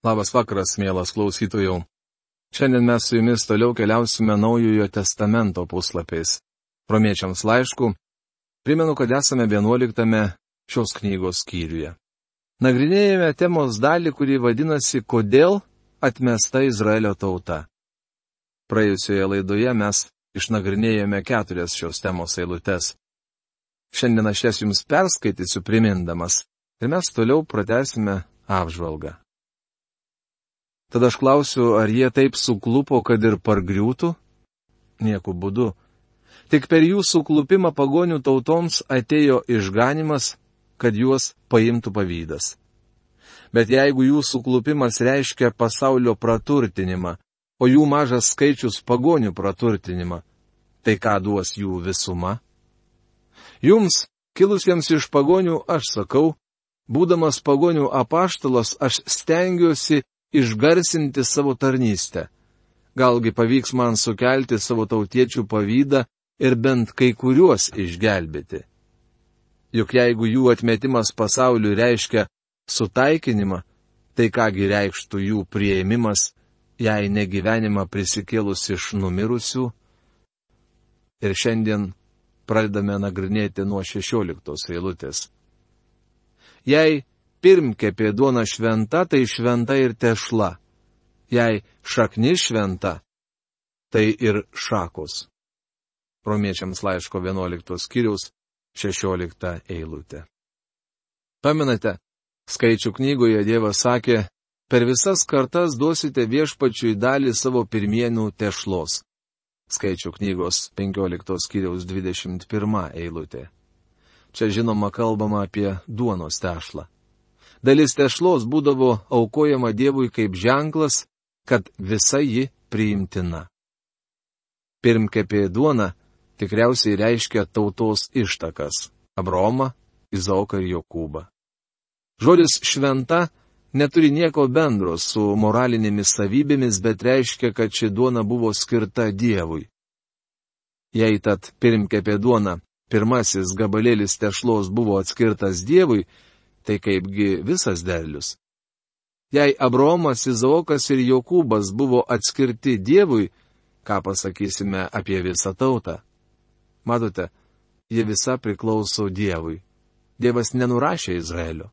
Labas vakaras, mielas klausytojų. Šiandien mes su jumis toliau keliausime Naujojo testamento puslapiais. Romiečiams laiškų. Primenu, kad esame 11 šios knygos skyriuje. Nagrinėjame temos dalį, kuri vadinasi "Kodėl atmesta Izraelio tauta". Praėjusioje laidoje mes išnagrinėjome 4 šios temos eilutes. Šiandien aš jas jums perskaitysiu primindamas ir mes toliau pratęsime apžvalgą. Tada aš klausiu, ar jie taip suklupo, kad ir pargriūtų? Nieku būdu. Tik per jų suklupimą pagonių tautoms atėjo išganimas, kad juos paimtų pavydas. Bet jeigu jų suklupimas reiškia pasaulio praturtinimą, o jų mažas skaičius pagonių praturtinimą, tai ką duos jų visuma? Jums, kilusiems iš pagonių, aš sakau, būdamas pagonių apaštalas, aš stengiuosi išgarsinti savo tarnystę. Galgi pavyks man sukelti savo tautiečių pavydą ir bent kai kuriuos išgelbėti. Juk jeigu jų atmetimas pasauliui reiškia sutaikinimą, tai kągi reikštų jų priėmimas, jei negyvenimą prisikėlus iš numirusių? Ir šiandien pradedame nagrinėti nuo 16 eilutės. Jei pirmkepė duona šventa, tai šventa ir tešla. Jei šaknis šventa, tai ir šakos. Romiečiams laiško 11 skyriaus 16 eilutė. Pamenate, Skaičių knygoje Dievas sakė, per visas kartas duosite viešpačiui dalį savo pirmienių tešlos. Skaičių knygos 15 skyriaus 21 eilutė. Čia žinoma kalbama apie duonos tešlą. Dalis tešlos būdavo aukojama Dievui kaip ženklas, kad visa ji priimtina. Pirmkepė duona tikriausiai reiškia tautos ištakas - Abraomą, Izaoką ir Jokūbą. Žodis šventa neturi nieko bendro su moralinėmis savybėmis, bet reiškia, kad ši duona buvo skirta Dievui. Jei tad pirmkepė duona, pirmasis gabalėlis tešlos buvo atskirtas Dievui, tai kaipgi visas derlius. Jei Abraomas, Izaokas ir Jokūbas buvo atskirti Dievui, ką pasakysime apie visą tautą? Matote, jie visa priklauso Dievui. Dievas nenurašė Izraelio.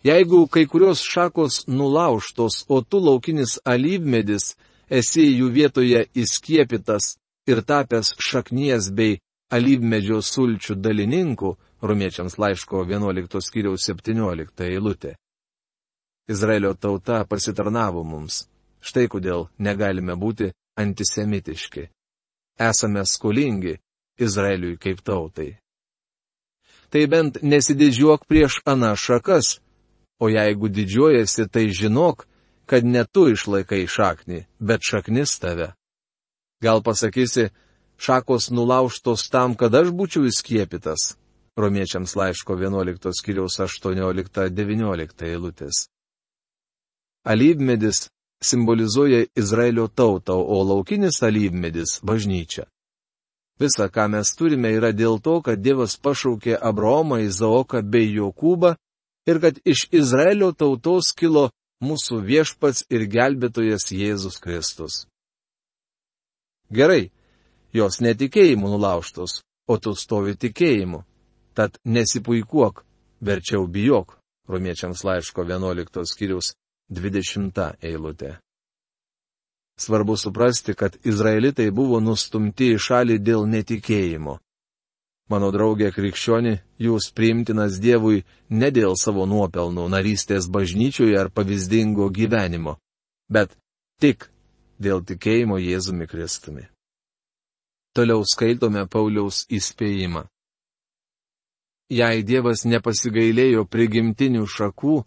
Jeigu kai kurios šakos nulaužtos, o tu laukinis alyvmedis esi jų vietoje įskiepytas ir tapęs šaknies bei alyvmedžio sulčių dalininku, Romiečiams laiško 11 skyriaus 17 eilutė. Izraelio tauta pasitarnavo mums. Štai kodėl negalime būti antisemitiški. Esame skolingi Izraeliui kaip tautai. Tai bent nesididžiuok prieš anas šakas, o jeigu didžiuojasi, tai žinok, kad ne tu išlaikai šaknį, bet šaknis tave. Gal pasakysi, šakos nulaužtos tam, kad aš būčiau įskiepytas? Romiečiams laiško 11 skyriaus 18-19 eilutės. Alyvmedis simbolizuoja Izraelio tautą, o laukinis alyvmedis - bažnyčią. Visa, ką mes turime, yra dėl to, kad Dievas pašaukė Abraomą, Izaoką bei Jokūbą ir kad iš Izraelio tautos kilo mūsų viešpats ir gelbėtojas Jėzus Kristus. Gerai, jos netikėjimu nulaužtos, o tu stovi tikėjimu. Tad nesipuikuok, verčiau bijok. Romiečiams laiško 11 skyriaus 20 eilutė. Svarbu suprasti, kad izraelitai buvo nustumti į šalį dėl netikėjimo. Mano draugė krikščioni, jūs priimtinas Dievui ne dėl savo nuopelnų, narystės bažnyčioje ar pavyzdingo gyvenimo, bet tik dėl tikėjimo Jėzumi Kristumi. Toliau skaitome Pauliaus įspėjimą. Jei Dievas nepasigailėjo prigimtinių šakų,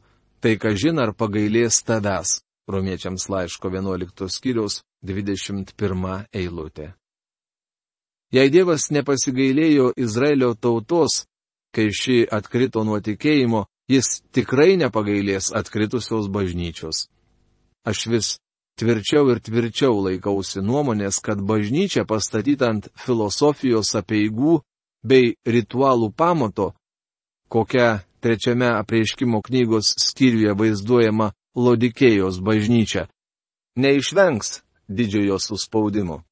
tai kažin ar pagailės tavęs. Romiečiams laiško 11 skyriaus 21 eilutė. Jei Dievas nepasigailėjo Izraelio tautos, kai ši atkrito nuo tikėjimo, jis tikrai nepagailės atkritusios bažnyčios. Aš vis tvirčiau ir tvirčiau laikausi nuomonės, kad bažnyčia pastatyta ant filosofijos apeigų bei ritualų pamato, kokia 23 apreiškimo knygos skyriuje vaizduojama Laodikėjos bažnyčia neišvengs didžiojo suspaudimo.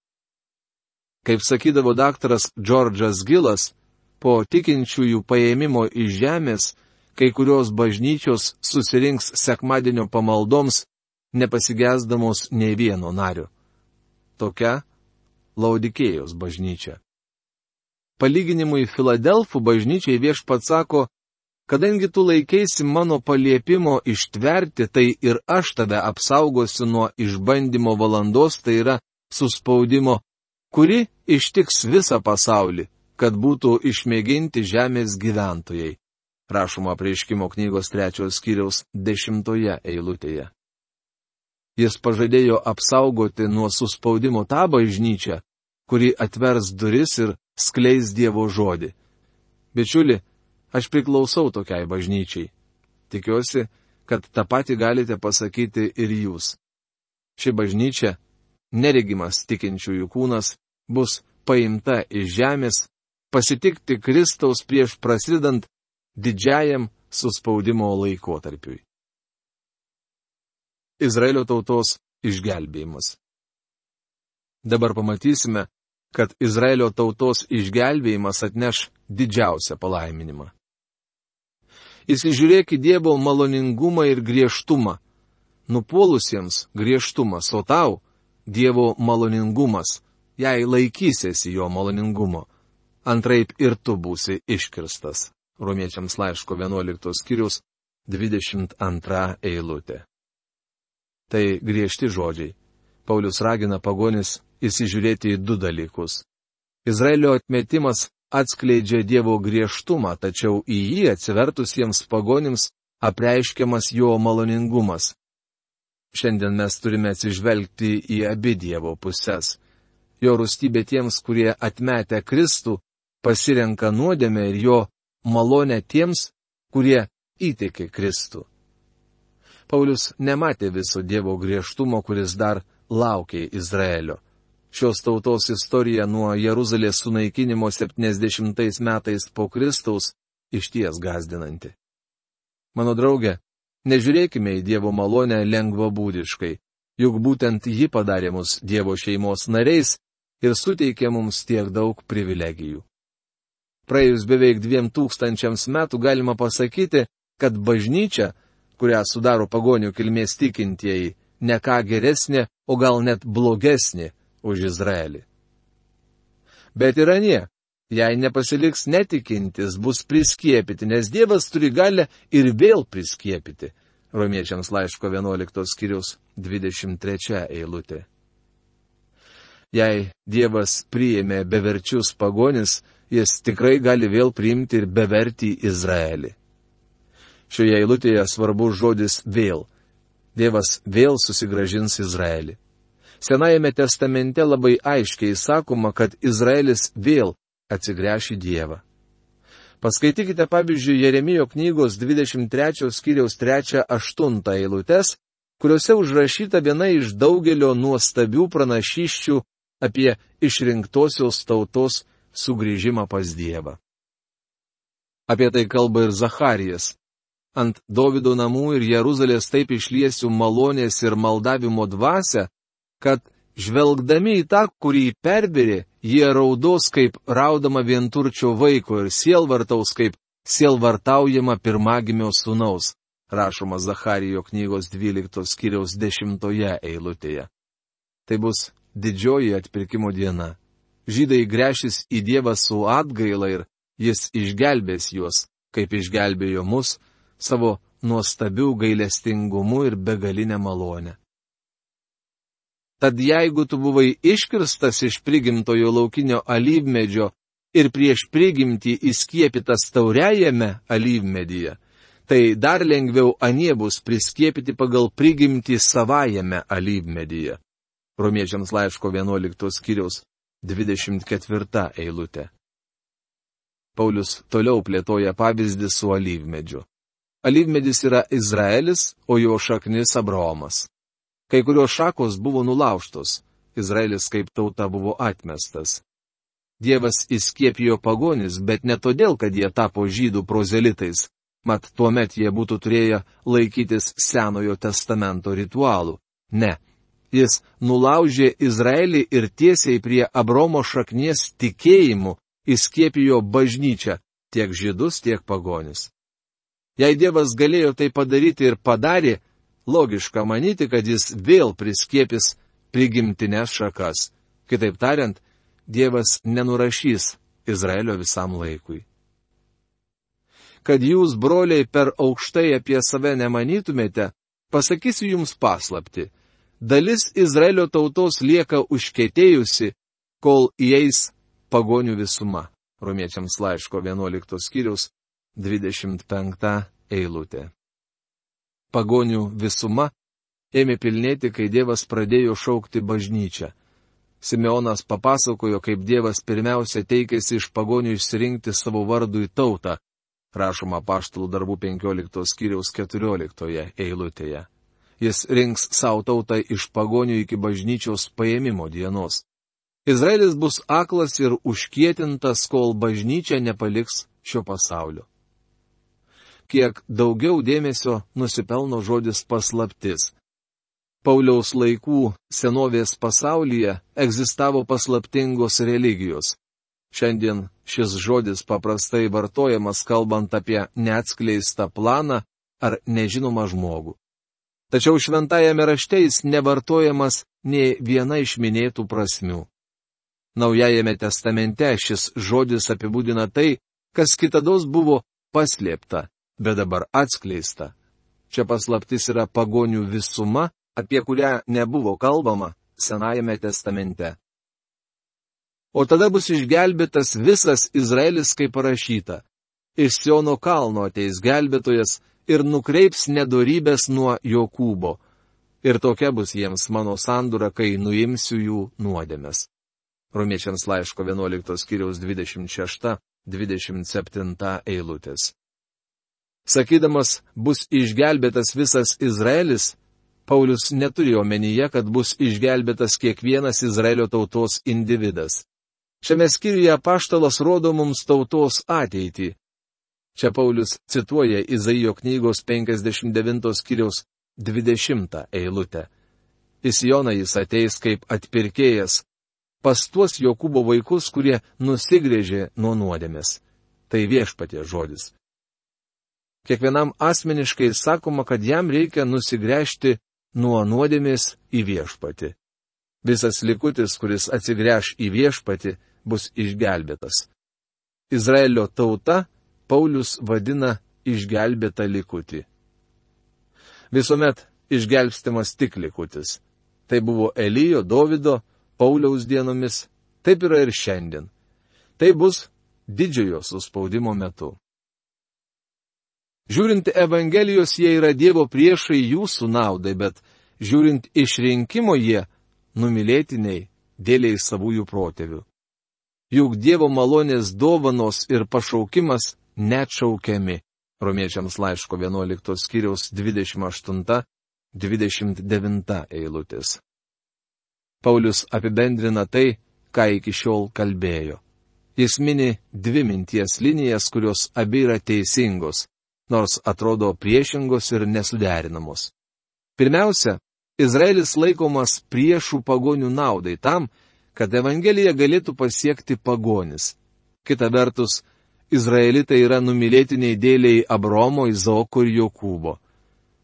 Kaip sakydavo daktaras Džordžas Gilas, po tikinčiųjų paėmimo iš žemės, kai kurios bažnyčios susirinks sekmadienio pamaldoms, nepasigesdamos nei vieno nario. Tokia Laodikėjos bažnyčia. Palyginimui Filadelfų bažnyčiai Viešpats sako, kadangi tu laikeisi mano paliepimo ištverti, tai ir aš tave apsaugosiu nuo išbandymo valandos, tai yra suspaudimo, kuri ištiks visą pasaulį, kad būtų išmėginti žemės gyventojai. Rašoma Apreiškimo knygos 3 skyriaus 10 eilutėje. Jis pažadėjo apsaugoti nuo suspaudimo tą bažnyčią, kuri atvers duris ir skleis Dievo žodį. Bičiuli, aš priklausau tokiai bažnyčiai. Tikiuosi, kad tą patį galite pasakyti ir jūs. Ši bažnyčia, neregimas tikinčiųjų kūnas, bus paimta iš žemės, pasitikti Kristaus prieš prasidedant didžiajam suspaudimo laikotarpiui. Izraelio tautos išgelbėjimas. Dabar pamatysime, kad Izraelio tautos išgelbėjimas atneš didžiausią palaiminimą. Įsižiūrėk į Dievo maloningumą ir griežtumą. Nupuolusiems griežtumas, o tau Dievo maloningumas, jei laikysiesi jo maloningumo. Antraip ir tu būsi iškirstas. Romiečiams laiško 11 skyriaus 22 eilutė. Tai griežti žodžiai. Paulius ragina pagonis įsižiūrėti į 2 dalykus. Izraelio atmetimas atskleidžia Dievo griežtumą, tačiau į jį atsivertusiems pagonims apreiškiamas jo maloningumas. Šiandien mes turime atsižvelgti į abi Dievo puses. Jo rūstybė tiems, kurie atmetę Kristų, pasirenka nuodėmę ir jo malonę tiems, kurie įtiki Kristų. Paulius nematė viso Dievo griežtumo, kuris dar laukė Izraelio. Šios tautos istorija nuo Jeruzalės sunaikinimo 70 metais po Kristaus išties gąsdinanti. Mano draugė, nežiūrėkime į Dievo malonę lengvabūdiškai, juk būtent ji padarė mus Dievo šeimos nariais ir suteikė mums tiek daug privilegijų. Praėjus beveik 2000 metų galima pasakyti, kad bažnyčia, kurią sudaro pagonių kilmės tikintieji, ne ką geresnė, o gal net blogesnė už Izraelį. Bet ir anie, jei nepasiliks netikintis, bus priskiepyti, nes Dievas turi galę ir vėl priskiepyti. Romiečiams laiško 11 skyriaus 23 eilutė. Jei Dievas priėmė beverčius pagonis, jis tikrai gali vėl priimti ir bevertį Izraelį. Šioje eilutėje svarbus žodis vėl. Dievas vėl susigrąžins Izraelį. Senajame testamente labai aiškiai sakoma, kad Izraelis vėl atsigręš į Dievą. Paskaitykite pavyzdžiui Jeremijo knygos 23 skyriaus 3-8 eilutes, kuriuose užrašyta viena iš daugelio nuostabių pranašysčių apie išrinktosios tautos sugrįžimą pas Dievą. Apie tai kalba ir Zacharijas. Ant Dovido namų ir Jeruzalės taip išliesiu malonės ir maldavimo dvasią, kad žvelgdami į tą, kurį perbėrė, jie raudos kaip raudama vienturčio vaiko ir sielvartaus kaip sielvartaujama pirmagimio sūnaus, rašoma Zacharijo knygos 12 skyriaus 10 eilutėje. Tai bus didžioji atpirkimo diena. Žydai gręšis į Dievą su atgaila ir jis išgelbės juos, kaip išgelbėjo mus, savo nuostabių gailestingumu ir begalinę malonę. Tad jeigu tu buvai iškirstas iš prigimtojo laukinio alyvmedžio ir prieš prigimtį įskiepytas tauriajame alyvmedyje, tai dar lengviau anie bus priskiepyti pagal prigimtį savajame alyvmedyje. Romiečiams laiško 11 skyriaus 24 eilutė. Paulius toliau plėtoja pavyzdį su alyvmedžiu. Alyvmedis yra Izraelis, o jo šaknis Abraomas. Kai kurios šakos buvo nulaužtos, Izraelis kaip tauta buvo atmestas. Dievas įskiepijo pagonis, bet ne todėl, kad jie tapo žydų prozelitais, mat tuomet jie būtų turėję laikytis Senojo testamento ritualų. Ne. Jis nulaužė Izraelį ir tiesiai prie Abraomo šaknies tikėjimu įskiepijo bažnyčią, tiek žydus, tiek pagonis. Jei Dievas galėjo tai padaryti ir padarė, logiška manyti, kad jis vėl priskiepis prigimtinės šakas. Kitaip tariant, Dievas nenurašys Izraelio visam laikui. Kad jūs, broliai, per aukštai apie save nemanytumėte, pasakysiu jums paslaptį. Dalis Izraelio tautos lieka užkietėjusi, kol įeis pagonių visuma. Romiečiams laiško 11 skyriaus 25 eilutė. Pagonių visuma ėmė pilnėti, kai Dievas pradėjo šaukti bažnyčią. Simeonas papasakojo, kaip Dievas pirmiausia teikėsi iš pagonių išsirinkti savo vardui tautą, rašoma Apaštalų darbų 15 skyriaus 14 eilutėje. Jis rinks savo tautą iš pagonių iki bažnyčios paėmimo dienos. Izraelis bus aklas ir užkietintas, kol bažnyčia nepaliks šio pasaulio. Kiek daugiau dėmesio nusipelno žodis paslaptis. Pauliaus laikų senovės pasaulyje egzistavo paslaptingos religijos. Šiandien šis žodis paprastai vartojamas kalbant apie neatskleistą planą ar nežinomą žmogų. Tačiau šventajame rašte jis nevartojamas nė viena iš minėtų prasmių. Naujajame testamente šis žodis apibūdina tai, kas kitados buvo paslėpta, bet dabar atskleista. Čia paslaptis yra pagonių visuma, apie kurią nebuvo kalbama Senajame testamente. O tada bus išgelbėtas visas Izraelis, kaip parašyta. Iš Siono kalno ateis gelbėtojas ir nukreips nedorybės nuo Jokūbo. Ir tokia bus jiems mano sandūra, kai nuimsiu jų nuodėmes. Romiečiams laiško 11 skyriaus 26-27 eilutės. Sakydamas, bus išgelbėtas visas Izraelis, Paulius neturėjo omenyje, kad bus išgelbėtas kiekvienas Izraelio tautos individas. Šiame skyriuje apaštalas rodo mums tautos ateitį. Čia Paulius cituoja Izaijo knygos 59 skyriaus 20 eilutę. Į Sioną jis ateis kaip atpirkėjas, pas tuos Jokūbo vaikus, kurie nusigrėžė nuo nuodėmės. Tai viešpaties žodis. Kiekvienam asmeniškai sakoma, kad jam reikia nusigręžti nuo nuodėmės į viešpatį. Visas likutis, kuris atsigręš į viešpatį, bus išgelbėtas. Izraelio tauta Paulius vadina išgelbėtą likutį. Visuomet išgelbstimas tik likutis. Tai buvo Elijo, Dovido, Pauliaus dienomis, taip yra ir šiandien. Tai bus didžiojo suspaudimo metu. Žiūrint Evangelijos, jie yra Dievo priešai jūsų naudai, bet žiūrint išrinkimo jie numylėtiniai dėliai savųjų protėvių. Juk Dievo malonės dovanos ir pašaukimas neatšaukiami. Romiečiams laiško 11 skyriaus 28-29 eilutės. Paulius apibendrina tai, ką iki šiol kalbėjo. Jis mini dvi minties linijas, kurios abi yra teisingos, nors atrodo priešingos ir nesuderinamos. Pirmiausia, Izraelis laikomas priešų pagonių naudai tam, kad Evangelija galėtų pasiekti pagonis. Kita vertus, Izraelitai yra numylėtiniai dėliai Abraomo, Izaoko ir Jokūbo.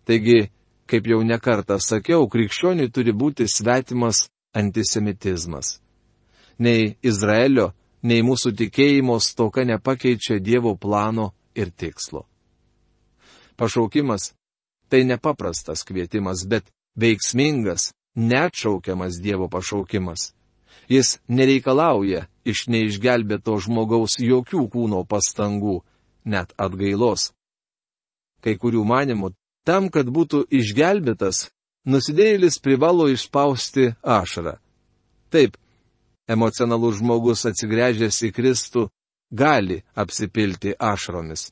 Taigi, kaip jau nekartą sakiau, krikščioniui turi būti svetimas antisemitizmas. Nei Izraelio, nei mūsų tikėjimo stoka nepakeičia Dievo plano ir tikslo. Pašaukimas – tai nepaprastas kvietimas, bet veiksmingas, neatšaukiamas Dievo pašaukimas. Jis nereikalauja iš neišgelbėto žmogaus jokių kūno pastangų, net atgailos. Kai kurių manimų, tam, kad būtų išgelbėtas, nusidėjėlis privalo išspausti ašarą. Taip, emocionalus žmogus atsigręžęs į Kristų gali apsipilti ašaromis,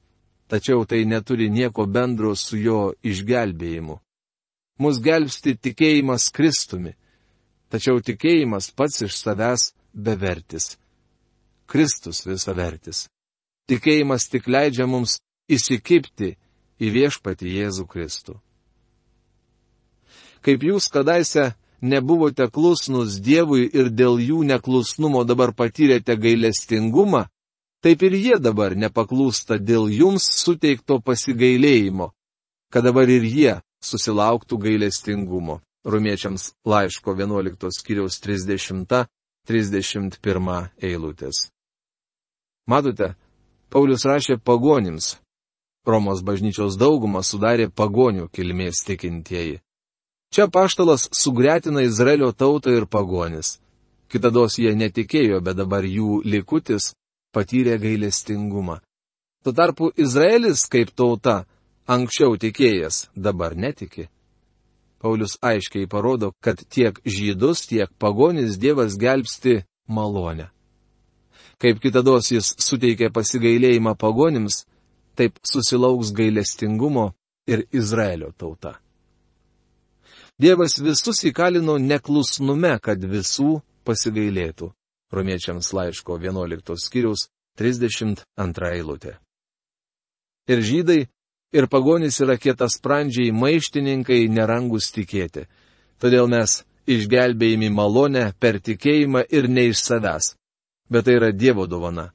tačiau tai neturi nieko bendro su jo išgelbėjimu. Mus gelbsti tikėjimas Kristumi, tačiau tikėjimas pats iš savęs bevertis. Kristus visavertis. Tikėjimas tik leidžia mums įsikibti į viešpatį Jėzų Kristų. Kaip jūs kadaise nebuvote klusnus Dievui ir dėl jų neklusnumo dabar patyrėte gailestingumą, taip ir jie dabar nepaklūsta dėl jums suteikto pasigailėjimo, kad dabar ir jie susilauktų gailestingumo. Romiečiams laiško 11 skyriaus 30-31 eilutės. Matote, Paulius rašė pagonims. Romos bažnyčios daugumą sudarė pagonių kilmės tikintieji. Čia apaštalas sugretina Izraelio tautą ir pagonis. Kitados jie netikėjo, bet dabar jų likutis patyrė gailestingumą. Tuo tarpu Izraelis kaip tauta anksčiau tikėjęs, dabar netiki. Paulius aiškiai parodo, kad tiek žydus, tiek pagonis Dievas gelbsti malonę. Kaip kitados jis suteikė pasigailėjimą pagonims, taip susilauks gailestingumo ir Izraelio tauta. Dievas visus įkalino neklusnume, kad visų pasigailėtų. Romiečiams laiško 11 skyriaus 32 eilutė. Ir žydai, ir pagonys yra kietasprandžiai maištininkai, nerangus tikėti. Todėl mes išgelbėjami malonę per tikėjimą ir ne iš savęs. Bet tai yra Dievo dovana.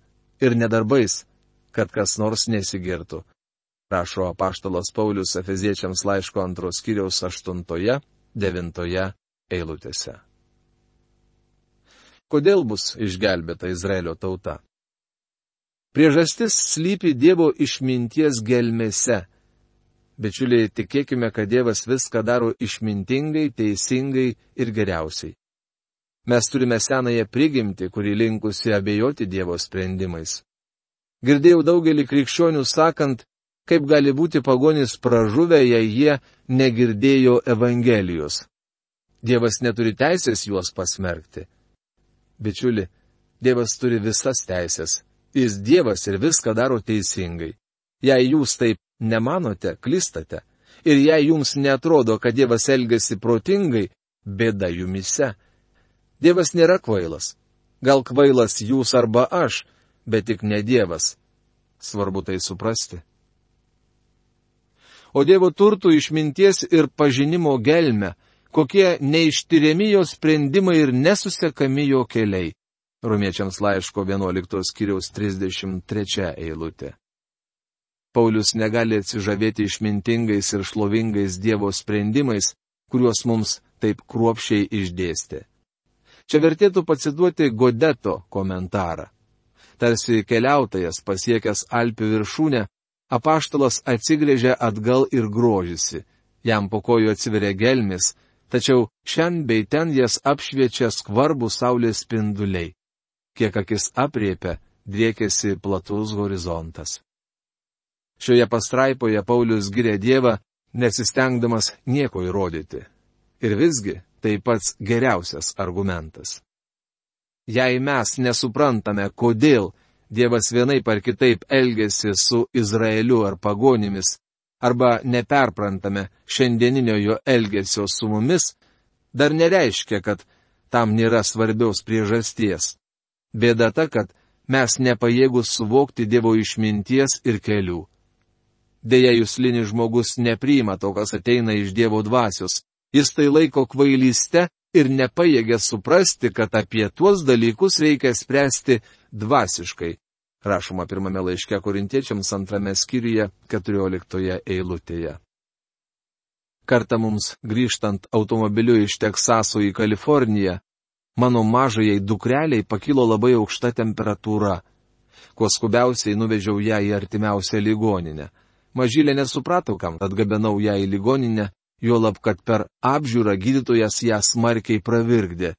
Ir nedarbais, kad kas nors nesigirtų. Rašo apaštalas Paulius Efeziečiams laiško 2 skyriaus 8-9 eilutėse. Kodėl bus išgelbėta Izraelio tauta? Priežastis slypi Dievo išminties gelmėse. Bičiuliai, tikėkime, kad Dievas viską daro išmintingai, teisingai ir geriausiai. Mes turime senąją prigimtį, kuri linkusi abejoti Dievo sprendimais. Girdėjau daugelį krikščionių sakant, kaip gali būti pagonys pražuvę, jei jie negirdėjo Evangelijos. Dievas neturi teisės juos pasmerkti. Bičiuli, Dievas turi visas teisės. Jis Dievas ir viską daro teisingai. Jei jūs taip nemanote, klystate. Ir jei jums netrodo, kad Dievas elgiasi protingai, bėda jumise. Dievas nėra kvailas. Gal kvailas jūs arba aš, bet tik ne Dievas. Svarbu tai suprasti. O Dievo turtų išminties ir pažinimo gelmę, kokie neištyriami jo sprendimai ir nesusekami jo keliai. Romiečiams laiško 11 skyriaus 33 eilutė. Paulius negali atsižavėti išmintingais ir šlovingais Dievo sprendimais, kuriuos mums taip kruopščiai išdėstė. Čia vertėtų pacituoti Godeto komentarą. Tarsi keliautojas pasiekęs Alpių viršūnę, apaštalas atsigręžia atgal ir grožisi. Jam po kojų atsiveria gelmis, tačiau šen bei ten jas apšviečia skvarbų saulės spinduliai. Kiek akis apriepia, driekėsi platus horizontas. Šioje pastraipoje Paulius giria Dievą, nesistengdamas nieko įrodyti. Ir visgi tai pats geriausias argumentas. Jei mes nesuprantame, kodėl Dievas vienaip ar kitaip elgėsi su Izraeliu ar pagonimis, arba neperprantame šiandieninio jo elgesio su mumis, dar nereiškia, kad tam nėra svarbios priežasties. Bėda ta, kad mes nepajėgus suvokti Dievo išminties ir kelių. Deja, juslinis žmogus nepriima to, kas ateina iš Dievo dvasios. Jis tai laiko kvailyste ir nepajėgia suprasti, kad apie tuos dalykus reikia spręsti dvasiškai. Rašoma pirmame laiške Korintiečiams 2 skyriuje 14 eilutėje. Kartą mums grįžtant automobiliu iš Teksaso į Kaliforniją, mano mažajai dukreliai pakilo labai aukšta temperatūra. Kuo skubiausiai nuvežiau ją į artimiausią ligoninę. Mažylė nesuprato, kam atgabenau ją į ligoninę, juolab, kad per apžiūrą gydytojas ją smarkiai pravirkdė.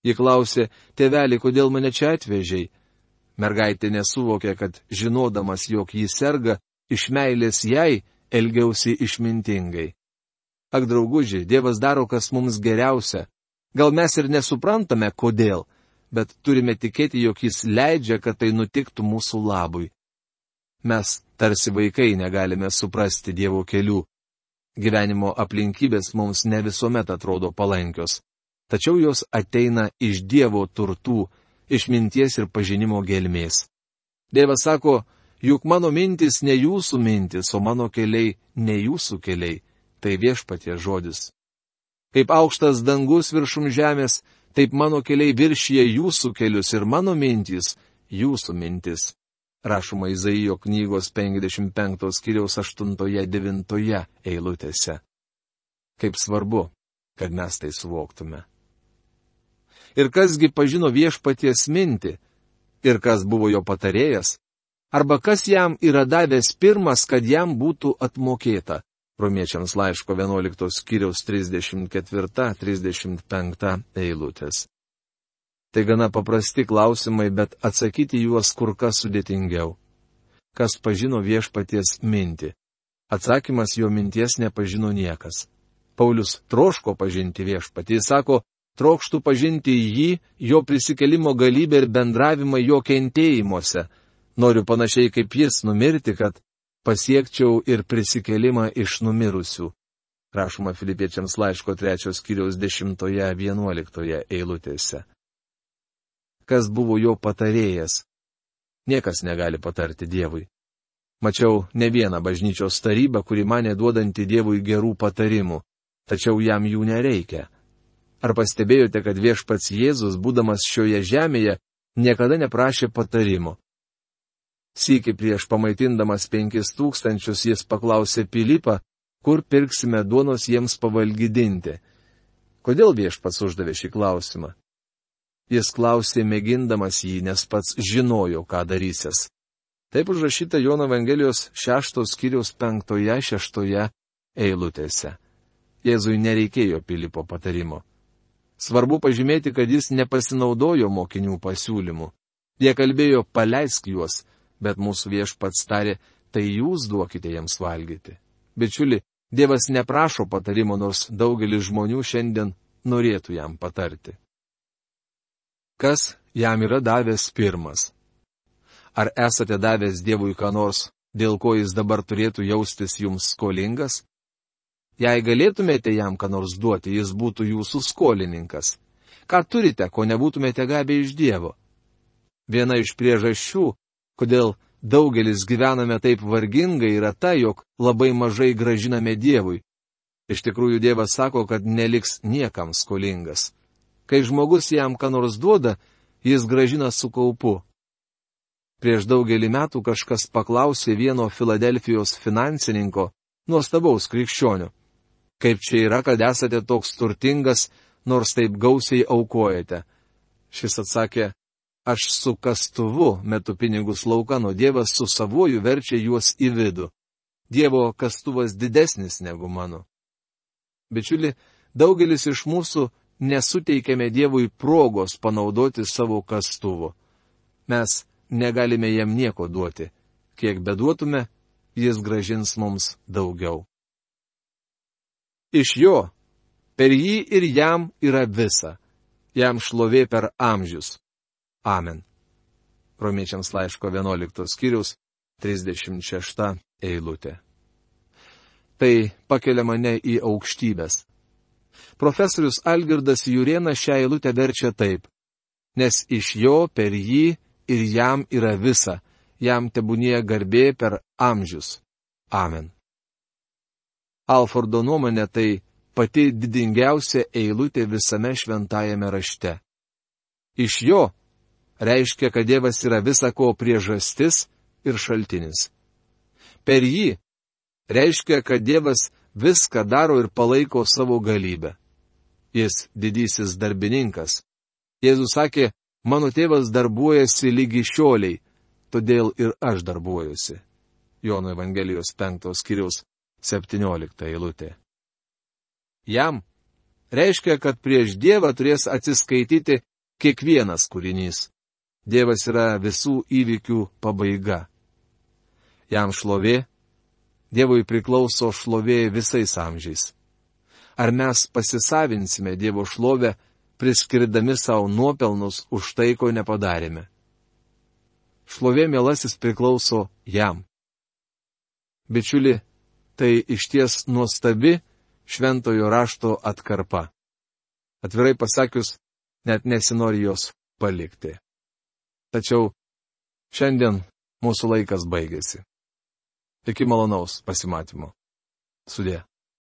Ji klausė, tėveli, kodėl mane čia atvežei? Mergaitė nesuvokė, kad žinodamas, jog jį serga, iš meilės jai elgiausi išmintingai. Ak, drauguži, Dievas daro, kas mums geriausia. Gal mes ir nesuprantame, kodėl, bet turime tikėti, jog jis leidžia, kad tai nutiktų mūsų labui. Mes, tarsi vaikai, negalime suprasti Dievo kelių. Gyvenimo aplinkybės mums ne visuomet atrodo palankios, tačiau jos ateina iš Dievo turtų, išminties ir pažinimo gelmės. Dievas sako, juk mano mintis ne jūsų mintis, o mano keliai ne jūsų keliai. Tai Viešpaties žodis. Kaip aukštas dangus viršum žemės, taip mano keliai viršyje jūsų kelius ir mano mintis jūsų mintis. Rašoma Izaijo knygos 55 skyriaus 8-9 eilutėse. Kaip svarbu, kad mes tai suvoktume. Ir kasgi pažino Viešpaties mintį, ir kas buvo jo patarėjas, arba kas jam yra davęs pirmas, kad jam būtų atmokėta. Romiečiams laiško 11 skyriaus 34-35 eilutės. Tai gana paprasti klausimai, bet atsakyti juos kur kas sudėtingiau. Kas pažino Viešpaties mintį? Atsakymas, jo minties nepažino niekas. Paulius troško pažinti Viešpatį. Jis sako, trokštų pažinti jį, jo prisikelimo galybę ir bendravimą jo kentėjimuose. Noriu panašiai kaip jis numirti, kad pasiekčiau ir prisikelimą iš numirusių. Rašoma Filipiečiams laiško 3 skyriaus 10-11 eilutėse. Kas buvo jo patarėjas? Niekas negali patarti Dievui. Mačiau ne vieną bažnyčios tarybą, kuri manė duodanti Dievui gerų patarimų, tačiau jam jų nereikia. Ar pastebėjote, kad Viešpats Jėzus, būdamas šioje žemėje, niekada neprašė patarimo? Sykį prieš pamaitindamas 5000 jis paklausė Pilypą, kur pirksime duonos jiems pavalgydinti. Kodėl Viešpats uždavė šį klausimą? Jis klausė mėgindamas jį, nes pats žinojo, ką darysis. Taip užrašyta Jono Evangelijos 6 skyriaus 5-6 eilutėse. Jėzui nereikėjo Pilypo patarimo. Svarbu pažymėti, kad jis nepasinaudojo mokinių pasiūlymų. Jie kalbėjo, paleisk juos, bet mūsų Viešpats tarė, tai jūs duokite jiems valgyti. Bičiuli, Dievas neprašo patarimo, nors daugelis žmonių šiandien norėtų jam patarti. Kas jam yra davęs pirmas? Ar esate davęs Dievui ką nors, dėl ko jis dabar turėtų jaustis jums skolingas? Jei galėtumėte jam ką nors duoti, jis būtų jūsų skolininkas. Ką turite, ko nebūtumėte gavę iš Dievo? Viena iš priežasčių, kodėl daugelis gyvename taip vargingai, yra ta, jog labai mažai gražiname Dievui. Iš tikrųjų, Dievas sako, kad neliks niekam skolingas. Kai žmogus jam ką nors duoda, jis gražina su kaupu. Prieš daugelį metų kažkas paklausė vieno Filadelfijos finansininko, nuostabaus krikščionio. Kaip čia yra, kad esate toks turtingas, nors taip gausiai aukojate? Šis atsakė, aš su kastuvu metu pinigus laukan, o Dievas su savuoju verčia juos į vidų. Dievo kastuvas didesnis negu mano. Bičiuli, daugelis iš mūsų nesuteikėme Dievui progos panaudoti savo kastuvo. Mes negalime jam nieko duoti. Kiek beduotume, jis gražins mums daugiau. Iš jo, per jį ir jam yra visa. Jam šlovė per amžius. Amen. Romiečiams laiško 11 skyriaus 36 eilutė. Tai pakelia mane į aukštybės. Profesorius Algirdas Jurėnas šią eilutę verčia taip. Nes iš jo, per jį ir jam yra visa. Jam tebūnie garbė per amžius. Amen. Alfordo nuomonė tai pati didingiausia eilutė visame šventajame rašte. Iš jo reiškia, kad Dievas yra visa ko priežastis ir šaltinis. Per jį reiškia, kad Dievas viską daro ir palaiko savo galybę. Jis didysis darbininkas. Jėzus sakė, mano tėvas darbuojasi lygi šioliai, todėl ir aš darbuojuosi. Jono Evangelijos 5 skyriaus 17 eilutė. Jam reiškia, kad prieš Dievą turės atsiskaityti kiekvienas kūrinys. Dievas yra visų įvykių pabaiga. Jam šlovė, Dievui priklauso šlovė visais amžiais. Ar mes pasisavinsime Dievo šlovę, priskirdami savo nuopelnus už tai, ko nepadarėme? Šlovė, mielasis, priklauso jam. Bičiuli, tai išties nuostabi šventojo rašto atkarpa. Atvirai pasakius, net nesinori jos palikti. Tačiau šiandien Mūsų laikas baigėsi. Iki malonaus pasimatymo. Sudie.